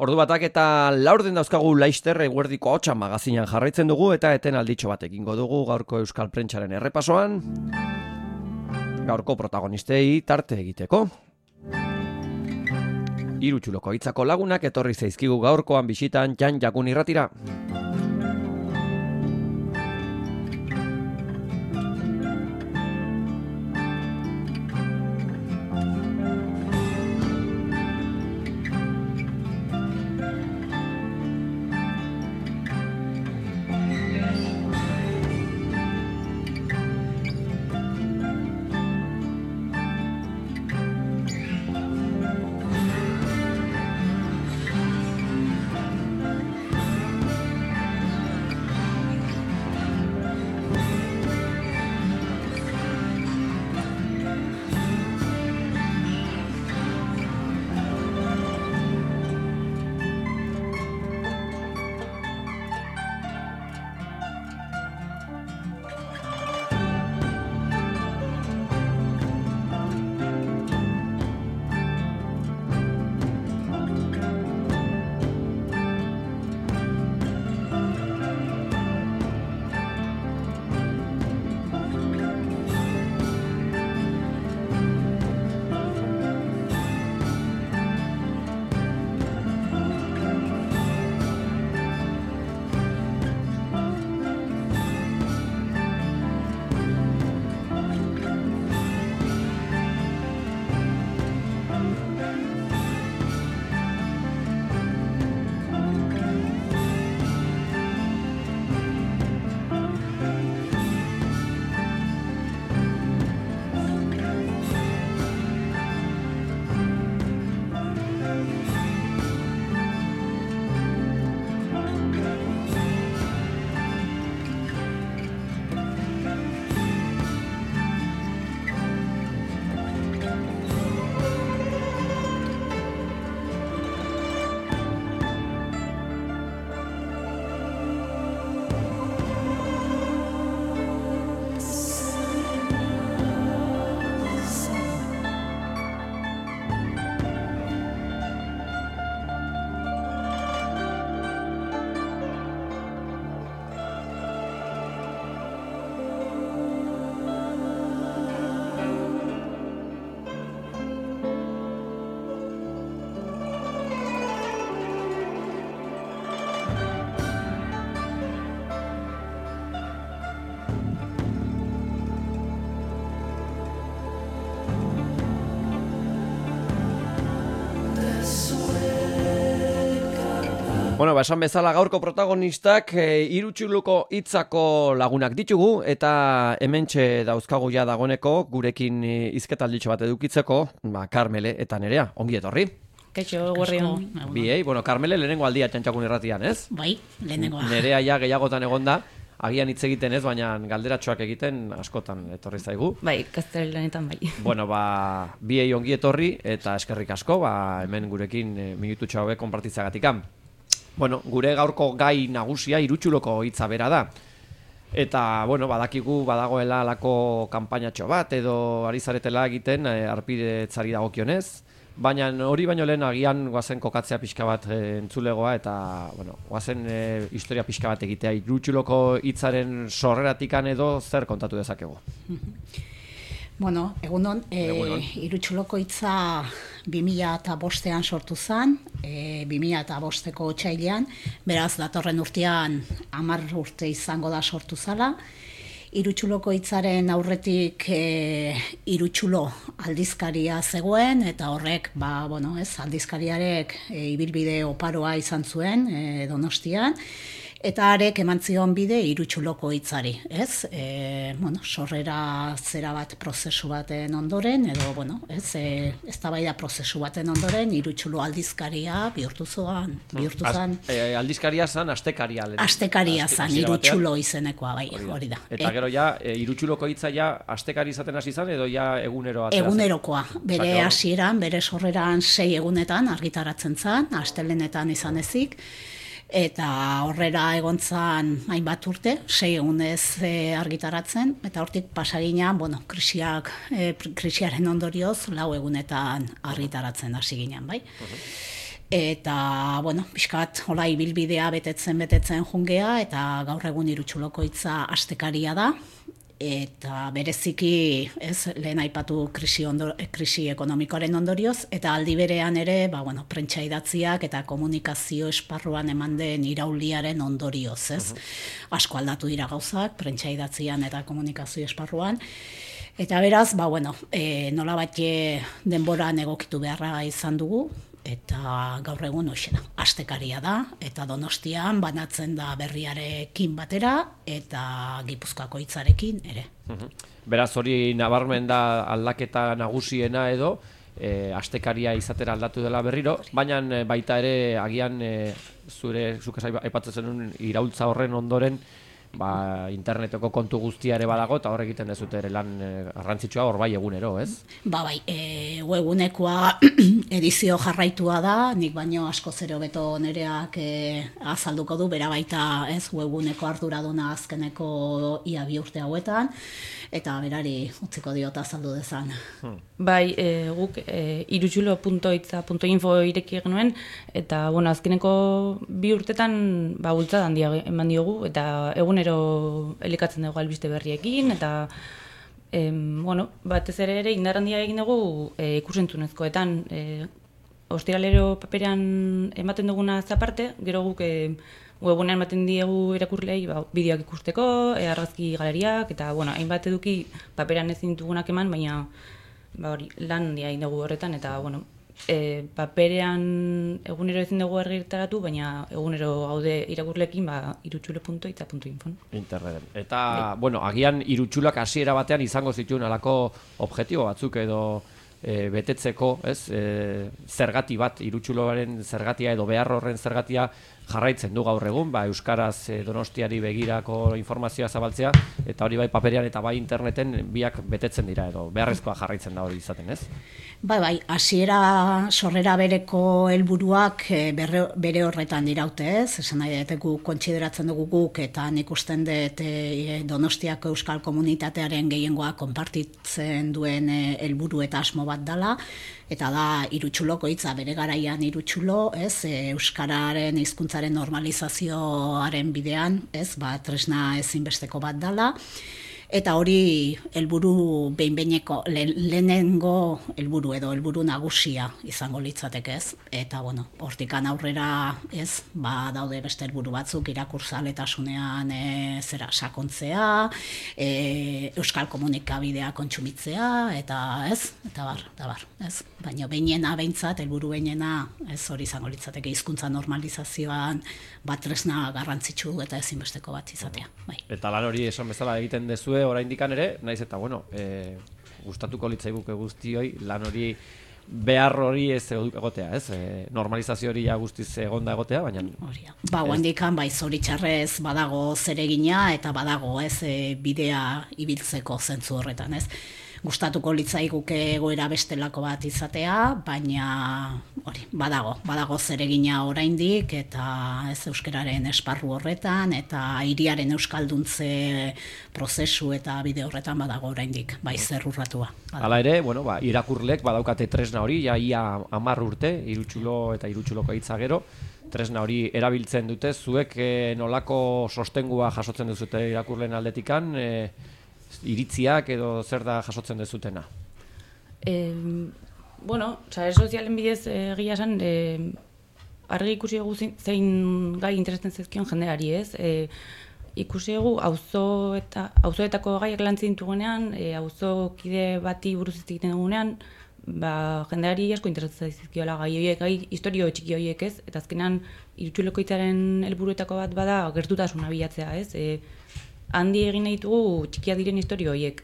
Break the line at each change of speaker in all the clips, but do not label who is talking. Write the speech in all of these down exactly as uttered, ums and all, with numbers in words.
Ordu batak eta laurden dauzkagu Laister eguerdiko hotsa magazinan jarraitzen dugu eta eten alditxo bat egingo dugu gaurko Euskal Prentsaren errepasoan. Gaurko protagonistei tarte egiteko. Hiru txuloko hitzako lagunak etorri zaizkigu gaurkoan bisitan Jan Jakun irratira. Bueno, ba, esan bezala gaurko protagonistak e, hiru txuluko hitzako lagunak ditugu eta hementxe dauzkagu ja dagoneko gurekin hizketalditxo bat edukitzeko, ba, Karmele eta Nerea, ongi etorri.
Kaixo, eguerdion.
Biei, bueno, Karmele lehenengo aldia Txantxakun irratian, ez?
Bai, lehenengoa.
Nerea ja gehiagotan egonda, agian hitz egiten ez, baina galderatxoak egiten askotan etorri zaigu.
Bai, gazteleranetan bai.
Bueno, ba, biei ongi etorri eta eskerrik asko, ba, hemen gurekin e, minututxo hauek konpartitzagatikam. Bueno, gure gaurko gai nagusia hirutxuloko hitza bera da. Eta, bueno, badakigu badagoela alako kanpainatxo bat edo ari zaretela egiten e, arpidetzari dagokionez, baina hori baino lehen agian goazen kokatzea pixka bat e, entzulegoa eta, bueno, goazen e, historia pixka bat egitea hirutxuloko hitzaren sorreratikan edo zer kontatu dezakegu.
Bueno, egunon, e, hirutxuloko hitza bi mila bostean sortu zen, e, bi mila bosteko otsailean, beraz datorren urtean hamar urte izango da sortu zala. Hirutxuloko hitzaren aurretik e, hirutxulo aldizkaria zegoen eta horrek, ba, bueno, ez, aldizkariarek e, ibilbide oparoa izan zuen e, Donostian. Eta arek eman zion bide hirutxuloko hitzari, ez? E, bueno, sorrera zera bat prozesu baten ondoren, edo, bueno, ez, e, eztabaida prozesu baten ondoren, hirutxulo aldizkaria bihurtu zoan, bihurtu zan.
E, aldizkaria zan, astekaria.
Astekaria zan, hirutxulo izenekoa, bai, hori da.
Eta e, gero ja, e, hirutxuloko hitza ja, astekari izaten hasi zan, edo ja eguneroa?
Egunerokoa, bere hasieran, bere sorreran sei egunetan argitaratzen zan, astelenetan izan ezik, eta horrera egontzan hainbat urte, sei egunez e, argitaratzen, eta hortik pasagina, bueno, krisiak, e, krisiaren ondorioz, lau egunetan argitaratzen hasi ginen, bai? Uh-huh. Eta, bueno, pixkat, hola ibilbidea betetzen betetzen jungea, eta gaur egun Irutxuloko hitza astekaria da, eta bereziki, ez, lehen aipatu krisi, ondo, krisi ekonomikoaren ondorioz, eta aldi berean ere, ba, bueno, prentsa idatziak eta komunikazio esparruan eman den irauliaren ondorioz, ez? Uh-huh. Asko aldatu dira gauzak, prentsa idatzian eta komunikazio esparruan, eta beraz, ba, bueno, e, nolabait denboran egokitu beharra izan dugu, eta gaur egun hoxena, astekaria da, eta Donostian banatzen da berriarekin batera, eta Gipuzkoako hitzarekin ere.
Uh-huh. Beraz hori nabarmen da aldaketa nagusiena edo, e, astekaria izatera aldatu dela berriro, baina baita ere agian e, zure, zuk aipatzen zenun iraultza horren ondoren, ba, interneteko kontu guztia ere badago, eta hor egiten dezute ere lan garrantzitsua hor bai egunero, ez?
Ba bai, e, webunekoa edizio jarraitua da, nik baino asko zero beto nereak e, azalduko du, bera baita ez webuneko arduraduna azkeneko ia bi urte hauetan, eta berari utziko diot azaldu dezan.
Hmm. Bai, e, guk e, irutxulo punto hitza punto info ireki genuen, eta bueno, azkeneko bi urtetan ba, bultzada handia eman diogu, eta egunero elikatzen dugu albiste berriekin, eta em, bueno, batez ere ere indar handia egin dugu e, ikusentzunezkoetan. E, ostiralero paperean ematen duguna zaparte, gero guk e, webunean ematen diegu irakurlei ba, bideoak ikusteko, e, argazki galeriak, eta bueno, hainbat eduki paperean ezin ditugunak eman, baina ba, hori, lan handia egin dugu horretan, eta bueno, e, paperean egunero ezin dugu argitaratu, baina egunero gaude irakurlekin ba, irutxulo punto hitza punto info.
Interneten. Eta, bai. Bueno, agian irutxulak hasiera batean izango zituen alako objektibo batzuk edo e, betetzeko, ez? E, zergati bat, irutxuloaren zergatia edo behar horren zergatia jarraitzen du gaur egun, ba, euskaraz e, Donostiari begirako informazioa zabaltzea, eta hori bai paperean eta bai interneten biak betetzen dira edo beharrezkoa jarraitzen da hori izaten, ez?
Bai, bai, hasiera sorrera bereko helburuak bere, bere horretan diraute, ez? Esan nahi dut guk kontsideratzen dugu guk, eta nik usten dut e, Donostiako euskal komunitatearen gehiengoa konpartitzen duen helburu eta asmo bat dela, eta da irutxuloko hitza bere garaian irutxulo, ez? E, euskararen hizkuntzaren normalizazioaren bidean, ez? Ba, tresna ezinbesteko bat dela. Eta hori helburu behin-behineko le, lehenengo helburu edo helburu nagusia izango litzateke, ez? Eta bueno, hortikan aurrera, ez? Ba, daude beste helburu batzuk irakurzaletasunean e, zera sakontzea, e, euskal komunikabidea kontsumitzea eta, ez? Eta bar, eta bar, ez? Baina behinena behintzat helburu behinena, ez hori izango litzateke hizkuntza normalizazioan bat tresna garrantzitsu eta ezinbesteko bat izatea, bai.
Eta lan hori esan bezala egiten dezue oraindikan ere, naiz eta bueno, e, gustatuko litzaiguke guztioi lan hori behar hori ez egotea, ez? E, normalizazio hori ja guztiz egonda egotea, baina
Horia. Ba, handikan bai zoritxarrez badago zeregina eta badago, ez, e, bidea ibiltzeko zentzu horretan, ez? Gustatuko litzaiguke egoera bestelako bat izatea, baina hori, badago, badago zeregina oraindik eta ez euskararen esparru horretan eta hiriaren euskalduntze prozesu eta bide horretan badago oraindik, bai zerrurratua.
Hala ere, bueno, ba, irakurlek badaukate tresna hori, ja ia hamar urte, irutxulo eta irutxuloko hitza gero, tresna hori erabiltzen dute, zuek e, nolako sostengua jasotzen duzute irakurleen aldetikan, e, iritziak edo zer da jasotzen dezutena?
E, bueno, sare sozialen bidez egia esan, e, argi ikusi dugu zein gai interesatzen zaizkion jendeari, ez? E, ikusi dugu auzo eta auzoetako gaiak lantzen ditugunean, e, auzokide bati buruz hitz egiten dugunean, ba, jendeari asko interesatzen zaizkiola gai horiek, gai historio txiki horiek, ez? Eta azkenan irutxuloko hitzaren helburuetako bat bada gertutasuna bilatzea, ez? E, handi egin nahi ditugu txikia diren historio horiek.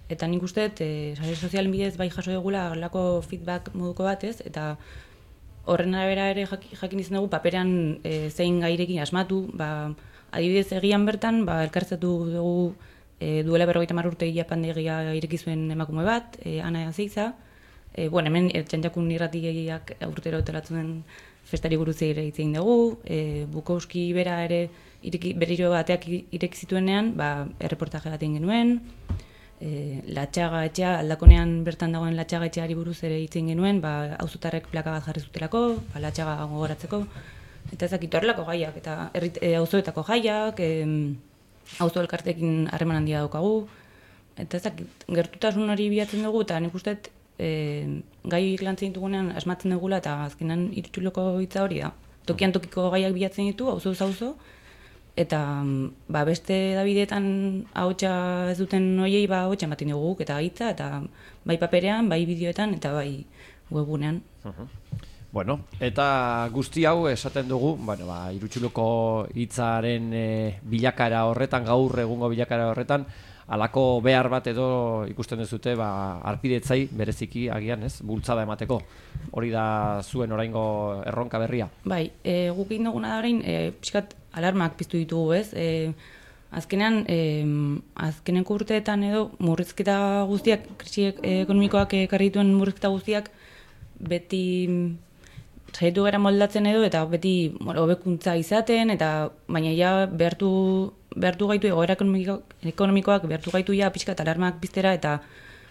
Eta nik uste, e, sare sozialen bidez bai jaso dugula horrelako feedback moduko bat, ez? Eta horren arabera ere jakin izan dugu paperean e, zein gairekin asmatu, ba, adibidez egian bertan, ba, elkartzatu dugu e, duela berrogeita hamar urte Japandegia ireki zuen emakume bat, e, Ana Azeiza, e, bueno, hemen e, Txantxakun irratiak urtero telatzen festari buruz ere hitz egin dugu, e, Bukowski bera ere ireki, berriro bateak ireki zituenean, ba, erreportaje bat egin genuen, e, latxaga etxea, aldakonean bertan dagoen latxaga etxeari buruz ere hitzen genuen, ba, auzotarrek plaka bat jarri zutelako, ba, latxaga gogoratzeko, eta ezakit horrelako gaiak, eta e, auzoetako jaiak, e, auzo elkartekin harreman handia daukagu, eta ezakit gertutasun hori bilatzen dugu, eta nik uste e, gai lantzen ditugunean asmatzen dugula, eta azkenan Irutxuloko hitza hori da. Tokian tokiko gaiak bilatzen ditu, auzo auzo, eta ba, beste Davidetan ahotsa ez duten hoiei ba ahotsa ematen dugu eta hitza eta bai paperean, bai bideoetan eta bai webgunean.
Uh-huh. Bueno, eta guzti hau esaten dugu, bueno, ba Irutxuloko hitzaren e, bilakara horretan, gaur egungo bilakara horretan, halako behar bat edo ikusten duzute ba arpidetzai bereziki agian, ez? Bultzada emateko. Hori da zuen oraingo erronka berria.
Bai, e, guk egin duguna da orain, e, pixkat alarmak piztu ditugu, ez? E, azkenean, e, azkeneko urteetan edo murrizketa guztiak, krisi ekonomikoak ekarri dituen murrizketa guztiak beti saiatu gara moldatzen edo eta beti bueno, hobekuntza izaten eta baina ja behartu behartu gaitu egoera ekonomikoak behartu gaitu ja pixkat alarmak piztera eta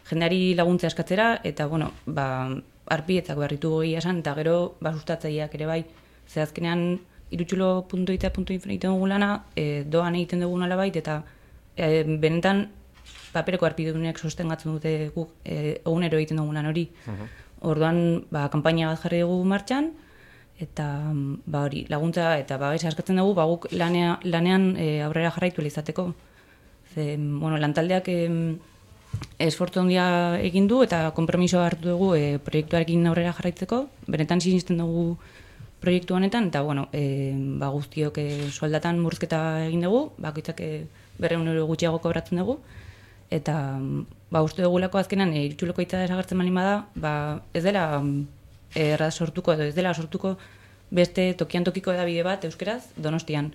jendeari laguntza eskatzera eta bueno, ba arpidetzak berritu egia esan eta gero ba sustatzaileak ere bai. Ze azkenean irutxulo puntu i t puntu info egiten dugu lana, e, doan egiten dugu nolabait eta e, benetan papereko arpidedunek sostengatzen dute guk e, egunero egiten dugu lan hori. Uh-huh. Orduan, ba, kanpaina bat jarri dugu martxan, eta ba, hori, laguntza eta ba, eskatzen dugu ba, guk lanea, lanean e, aurrera jarraitu izateko. Ze, bueno, lantaldeak e, esfortzu handia egin du eta konpromisoa hartu dugu e, proiektuarekin aurrera jarraitzeko. Benetan sinisten dugu proiektu honetan, eta bueno, e, ba, guztiok e, soldatan murrizketa egin dugu, bakoitzak e, berrehun euro gutxiago kobratzen dugu, eta ba, uste dugulako azkenan e, Irutxuloko hitza desagertzen baldin bada, ba, ez dela erraz sortuko edo ez dela sortuko beste tokian tokiko edabide bat euskeraz Donostian.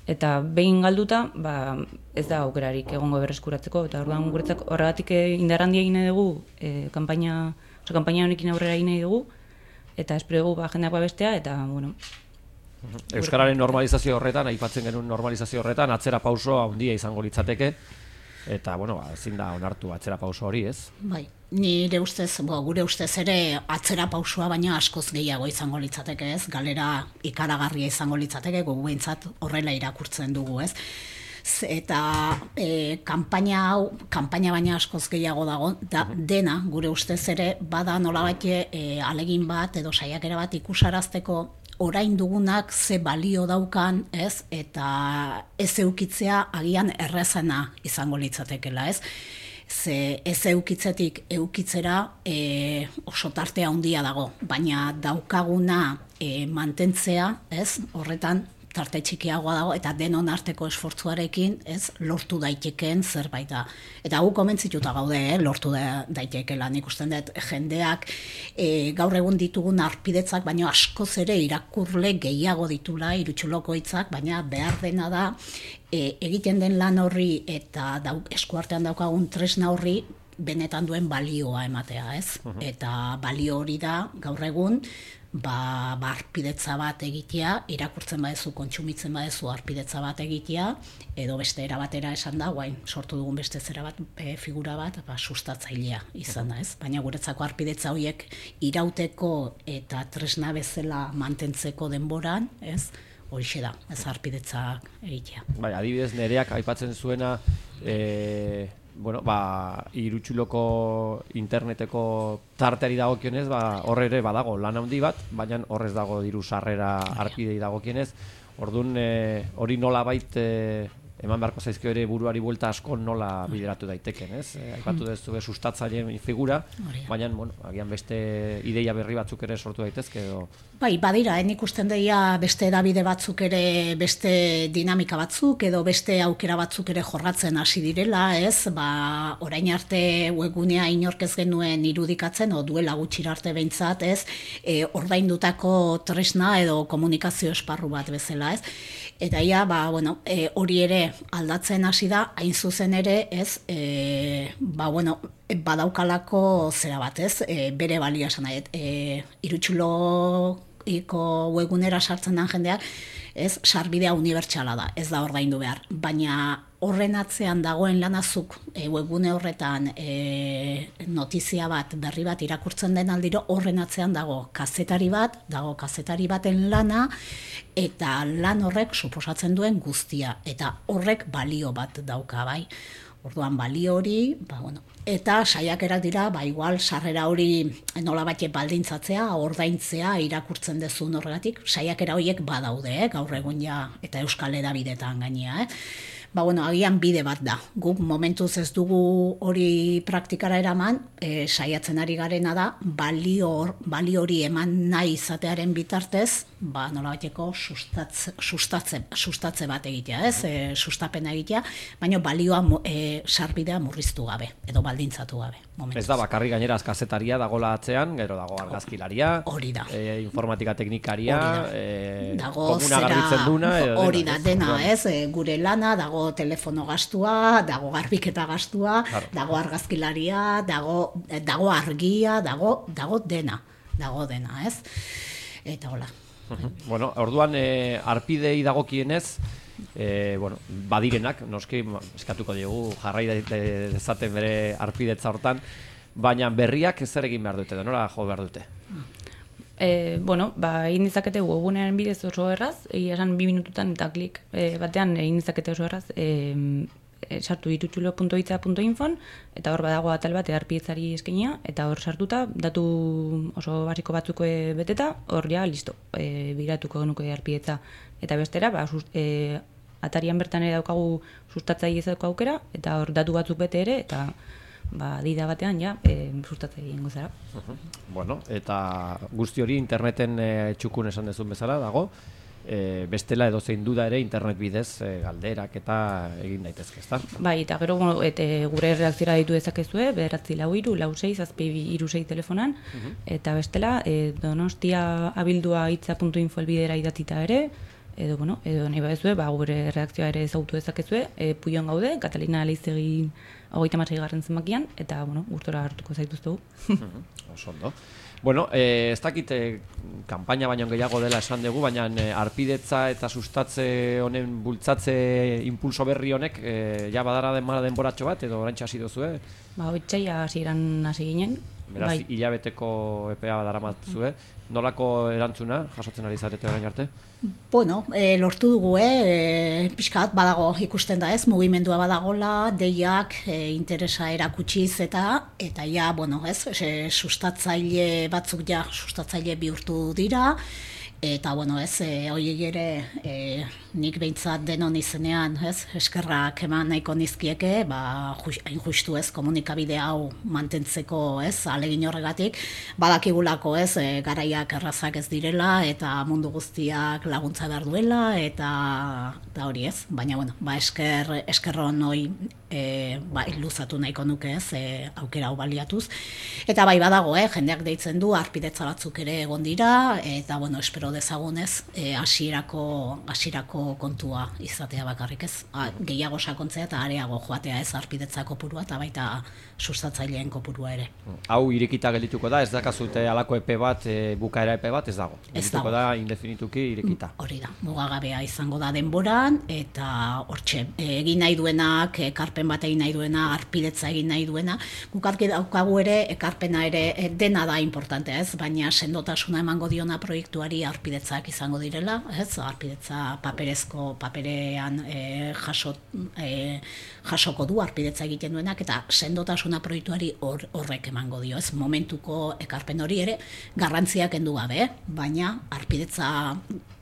Eta behin galduta, ba, ez da aukerarik egongo berreskuratzeko, eta orduan guretzak horregatik indarrandia egin dugu, e, kanpaina, oso kanpaina honekin aurrera egin dugu, eta espero dugu ba, jendeak babestea, eta, bueno...
Euskararen normalizazio horretan, aipatzen genuen normalizazio horretan, atzera pauso handia izango litzateke, eta, bueno, ba, ezin da onartu atzera pauso hori, ez?
Bai, nire ustez, bo, gure ustez ere atzera pausua baina askoz gehiago izango litzateke, ez? Galera ikaragarria izango litzateke, gogu behintzat horrela irakurtzen dugu, ez? Eta e, kanpaina hau, kanpaina baina askoz gehiago dago, da, dena, gure ustez ere, bada nolabait e, alegin bat edo saiakera bat ikusarazteko orain dugunak ze balio daukan, ez? Eta ez eukitzea agian errezena izango litzatekela, ez? Ze ez eukitzetik eukitzera e, oso tarte handia dago, baina daukaguna e, mantentzea, ez? Horretan tarte txikiagoa dago eta denon arteko esfortzuarekin, ez, lortu daitekeen zerbait da. Eta gu komentzituta gaude, eh, lortu da, daitekeela. Nik usten dut jendeak e, gaur egun ditugun arpidetzak, baina askoz ere irakurle gehiago ditula Irutxuloko hitzak, baina behar dena da e, egiten den lan horri eta dauk, eskuartean daukagun tresna horri benetan duen balioa ematea, ez? Uh-huh. Eta balio hori da gaur egun ba, ba arpidetza bat egitea, irakurtzen badezu, kontsumitzen badezu arpidetza bat egitea, edo beste era batera esan da, guain sortu dugun beste zera bat, e, figura bat, ba, sustatzailea izan da, ez? Baina guretzako arpidetza horiek irauteko eta tresna bezala mantentzeko denboran, ez? Horixe da, ez arpidetza egitea.
Bai, adibidez nereak aipatzen zuena, e... bueno, ba, Irutxuloko interneteko tarteari dagokionez, ba, horre ere badago lan handi bat, baina horrez dago diru sarrera arpidei dagokionez. Orduan, e, hori nola bait e, eman beharko zaizkio ere buruari buelta asko nola bideratu daiteken, ez? E, aipatu dezu be sustatzaileen figura, baina, bueno, agian beste ideia berri batzuk ere sortu daitezke edo...
Bai, badira, eh, nik usten deia beste edabide batzuk ere, beste dinamika batzuk edo beste aukera batzuk ere jorratzen hasi direla, ez? Ba, orain arte webgunea inork ez genuen irudikatzen, o duela gutxira arte behintzat, ez? E, ordaindutako tresna edo komunikazio esparru bat bezala, ez? Eta ia, ba, bueno, e, hori ere aldatzen hasi da, hain zuzen ere, ez? E, ba, bueno, badaukalako zera bat, ez? E, bere balioa esan nahi, e, Irutxulo iko webgunera sartzen den jendeak, ez, sarbidea unibertsala da, ez da ordaindu behar, baina horren atzean dagoen lanazuk e, webgune horretan e, notizia bat, berri bat irakurtzen den aldiro, horren atzean dago kazetari bat, dago kazetari baten lana, eta lan horrek suposatzen duen guztia, eta horrek balio bat dauka, bai. Orduan balio hori, ba, bueno, eta saiakerak dira, ba, igual sarrera hori nola batxe baldintzatzea, ordaintzea, irakurtzen dezun horregatik, saiakera horiek badaude, eh, gaur egun ja, eta Euskal Hedabideetan gainea, eh. Ba, bueno, agian bide bat da. Guk momentuz ez dugu hori praktikara eraman, e, saiatzen ari garena da, balio, balio hori eman nahi izatearen bitartez, ba, nola bateko sustatze, sustatze, sustatze bat egitea, ez? E, sustapena egitea, baina balioa e, sarbidea murriztu gabe, edo baldintzatu gabe. Momentuz.
Ez da, bakarri gainera kazetaria dagola atzean, gero dago argazkilaria,
hori da.
E, informatika teknikaria,
e, dago
komuna garbitzen duna,
hori da, dena, ez? E, gure lana, dago telefono gastua, dago garbiketa gastua, claro. Dago argazkilaria, dago, dago argia, dago, dago dena, dago dena, ez? Eta hola.
Uh-huh. Bueno, orduan e, arpidei dagokienez, e, bueno, badirenak, noski eskatuko diogu jarrai dezaten bere arpidetza hortan, baina berriak zer egin behar dute, denora jo behar dute?
E, bueno, ba, egin dizakete webunearen bidez oso erraz, egia esan bi minututan eta klik e, batean egin dizakete oso erraz, e, e, sartu irutsulo puntu hitza puntu infon, eta hor badago atal bat arpidetzari eskainia, eta hor sartuta, datu oso basiko batzuk beteta, hor ja, listo, e, biratuko genuke arpidetza. Eta bestera, ba, sust, e, atarian bertan ere daukagu sustatzaile ezauko aukera, eta hor datu batzuk bete ere, eta ba, dida batean ja, e, sustatzaile ingo zara.
Uh-huh. Bueno, eta guzti hori interneten e, txukun esan dezun bezala dago, e, bestela edozein duda ere internet bidez e, galderak eta egin daitezke, ezta? Bai,
eta gero bueno, et, gure reakziora ditu dezakezue, bederatzi lau hiru, lau sei, zazpi hiru sei telefonan, uh-huh. Eta bestela e, donostia abildua hitza puntu info elbidera idatita ere, edo, bueno, edo nahi badezue, ba, gure reakzioa ere ezagutu dezakezue, e, Puion gaude, Katalina Leizegi hogeita hamasei garren zenbakian, eta, bueno, gustora hartuko zaituztegu.
uh-huh. Oso ondo. Bueno, eh, ez dakit eh, kanpaina baino gehiago dela esan dugu, baina eh, arpidetza eta sustatze honen bultzatze impulso berri honek eh, ja badara denbora denboratxo bat, edo oraintxe hasi duzue?
Ba, otsaila hasieran hasi ginen.
Beraz, bai. Hilabeteko epea daramatzue. Nolako erantzuna jasotzen ari zarete orain arte?
Bueno, e, lortu dugu, eh, pixkat badago ikusten da ez, mugimendua badagola, deiak e, interesa erakutsiz eta eta ja, bueno, ez, e, sustatzaile batzuk ja, sustatzaile bihurtu dira, eta, bueno, ez, e, horiek ere e, nik behintzat denon izenean, ez, eskerrak eman nahiko nizkieke, ba, hain justu ez, komunikabide hau mantentzeko, ez, alegin horregatik, badakigulako, ez, e, garaiak errazak ez direla, eta mundu guztiak laguntza behar duela, eta, eta hori ez, baina, bueno, ba, esker, eskerron hoi, e, ba, luzatu nahiko nuke ez, e, aukera hau baliatuz, eta bai badago, eh, jendeak deitzen du, arpidetza batzuk ere egon dira, eta, bueno, espero dezagunez, e, hasierako hasierako kontua izatea bakarrik ez. A, gehiago sakontzea eta areago joatea ez arpidetza kopurua eta baita sustatzaileen kopurua ere.
Hau irekita geldituko da, ez dakazute alako epe bat, e, bukaera epe bat, ez dago.
Ez
geldituko da indefinituki irekita.
Hori da, mugagabea izango da denboran, eta hortxe, egin nahi duenak, ekarpen bat egin nahi duena, arpidetza egin nahi duena, guk argi daukagu ere, ekarpena ere dena da importantea ez, baina sendotasuna emango diona proiektuari arpidetzak izango direla, ez, arpidetza paperezko, paperean e, jaso, e, jasoko du arpidetza egiten duenak, eta sendotasuna proiektuari hor, horrek emango dio, ez, momentuko ekarpen hori ere garrantziak kendu gabe, baina arpidetza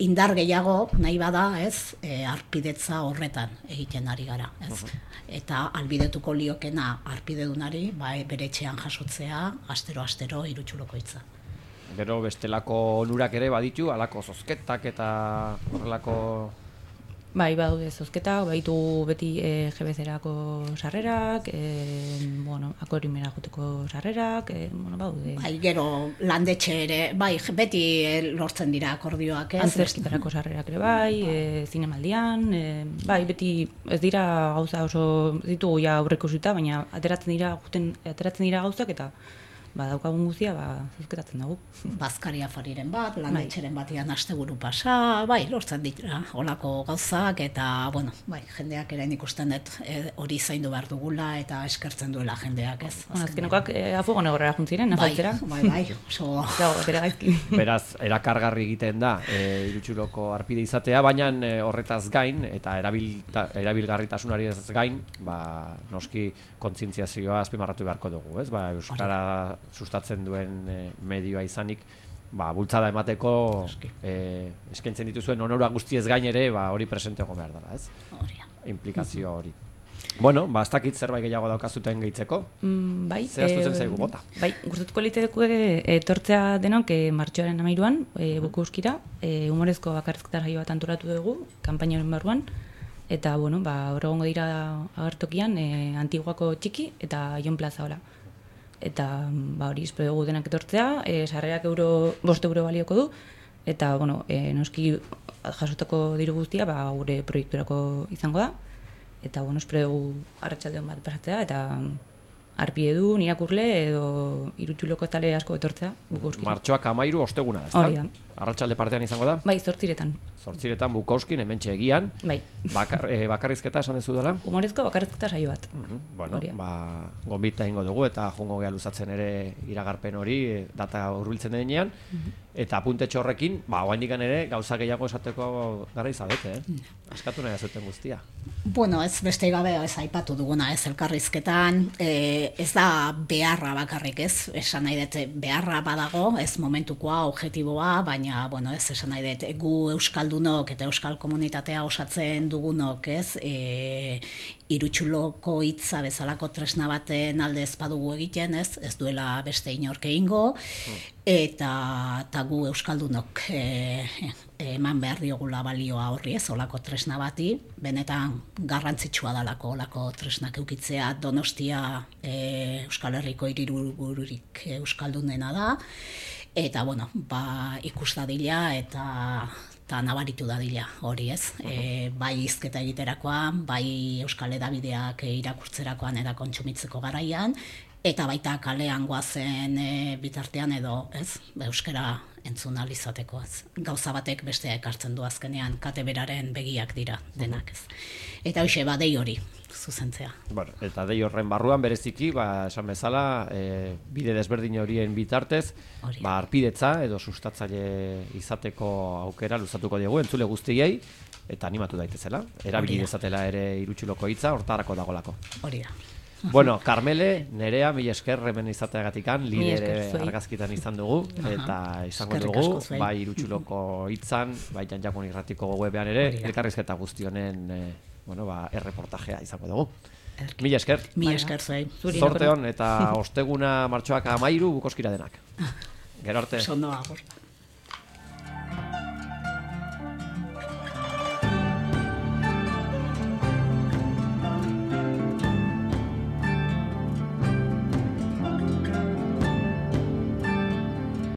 indar gehiago nahi bada, ez, e, arpidetza horretan egiten ari gara, ez. Uh-huh. Eta albidetuko liokena arpidedunari, bai, bere etxean jasotzea, astero-astero irutsuloko hitza.
Gero bestelako onurak ere baditu, alako zozketak eta horrelako...
Bai, badaude zozketak, baitu beti e, G B C-erako sarrerak, e, bueno, akorimera joteko sarrerak, e, bueno, badaude.
Bai, gero landetxe ere, bai, beti lortzen dira akordioak, ez?
Antzerkitarako sarrerak ere bai, e, zinemaldian, e, bai, beti ez dira gauza oso ditugu ja aurreikusita, baina ateratzen dira, juten, ateratzen dira gauzak eta ba, daukagun guztia, ba, zuzketatzen dugu.
Bazkari afariren bat, landetxeren batian asteburu pasa, bai, lortzen dira olako gauzak, eta, bueno, bai, jendeak ere ikusten dut e, hori zaindu behar dugula, eta eskertzen duela jendeak, ez?
Azkenekoak e, afuego negorrera juntziren, nafaltzera.
Bai, bai, bai, oso...
bere gaizki.
Beraz, erakargarri egiten da e, Irutxuloko arpide izatea, baina e, horretaz gain, eta erabilta, erabilgarritasunari ez gain, ba, noski kontzientziazioa azpimarratu beharko dugu, ez? Ba, euskara sustatzen duen e, medioa izanik, ba, bultzada emateko e, eskaintzen dituzuen onora guztiez gain ere, ba, hori presente egon behar dela, ez? Implikazio hori. Bueno, ba, ez dakit zerbait gehiago daukazuten gehitzeko.
Mm, bai.
Zehaztu zen zaigu bota.
Bai, gustatuko liteke etortzea denok e, martxoaren hamairuan, e, bukuskira, e, humorezko bakarrizketa saio bat antolatu dugu, kanpainaren barruan, eta, bueno, ba, hor egongo dira agertokian, e, Antiguako txiki eta Jon Plaza hola. Eta, ba, hori espero dugu denak etortzea, e, sarrerak euro, bost euro balioko du, eta, bueno, e, noski jasotako diru guztia, ba, gure proiekturako izango da. Eta, bueno, espero dugu arratsaldeon bat pasatzea, eta arpide du, irakurle edo Irutxuloko tale asko etortzea.
Martxoak hamairu osteguna, ez da?
Hori da.
Arratsalde partean izango da?
Bai, zortziretan.
Zortziretan Bukowskin, hementxe egian.
Bai.
Bakar, e, bakarrizketa esan dezu dela?
Humorezko bakarrizketa saio bat.
Uh-huh. Bueno, ba, gonbita ingo dugu eta jungo geha luzatzen ere iragarpen hori, data hurbiltzen denean. Uh-huh. Eta apuntetxo horrekin, ba, oaindikan ere gauza gehiago esateko gara izabete, eh? Uh-huh. Askatu nahi azuten guztia.
Bueno, ez beste gabe ez aipatu duguna ez elkarrizketan, e, ez da beharra bakarrik ez, esan nahi dut beharra badago, ez momentukoa, objektiboa, baina, bueno, ez esan nahi dut gu euskaldunok eta euskal komunitatea osatzen dugunok ez, e, Irutxuloko hitza bezalako tresna baten alde ez badugu egiten ez, ez duela beste inork egingo, eta, eta gu euskaldunok e, eman behar diogula balioa horri ez, olako tresna bati, benetan garrantzitsua dalako olako tresnak eukitzea. Donostia e, Euskal Herriko hiribururik euskaldunena da, eta bueno, ba, ikus dadila eta eta nabaritu dadila hori ez, e, bai hizketa egiterakoan, bai euskal edabideak irakurtzerakoan eta kontsumitzeko garaian, eta baita kalean goazen e, bitartean edo ez, euskara entzun ahal izateko ez. Gauza batek bestea ekartzen du azkenean, kate beraren begiak dira denak ez. Eta hoxe, ba, dei hori zuzentzea.
Bueno, eta dei horren barruan bereziki, ba, esan bezala, e, bide desberdin horien bitartez, Hori. ba, arpidetza edo sustatzaile izateko aukera luzatuko diegu entzule guztiei, eta animatu daitezela. Erabili dezatela ere Irutxuloko hitza, hortarako dagolako.
Hori da.
Bueno, Carmele, Nerea, mila esker hemen izateagatikan, lidere argazkitan izan dugu, eta izango dugu, bai Irutxuloko hitzan, bai Janjakun Irratiko webean ere, elkarrizketa guztionen e, bueno, ba, erreportajea izango dugu. Mila esker.
Mila esker zuei.
Zorte hon, eta osteguna martxoak hamairu Bukowskira denak. Gero arte.
Sondo agur.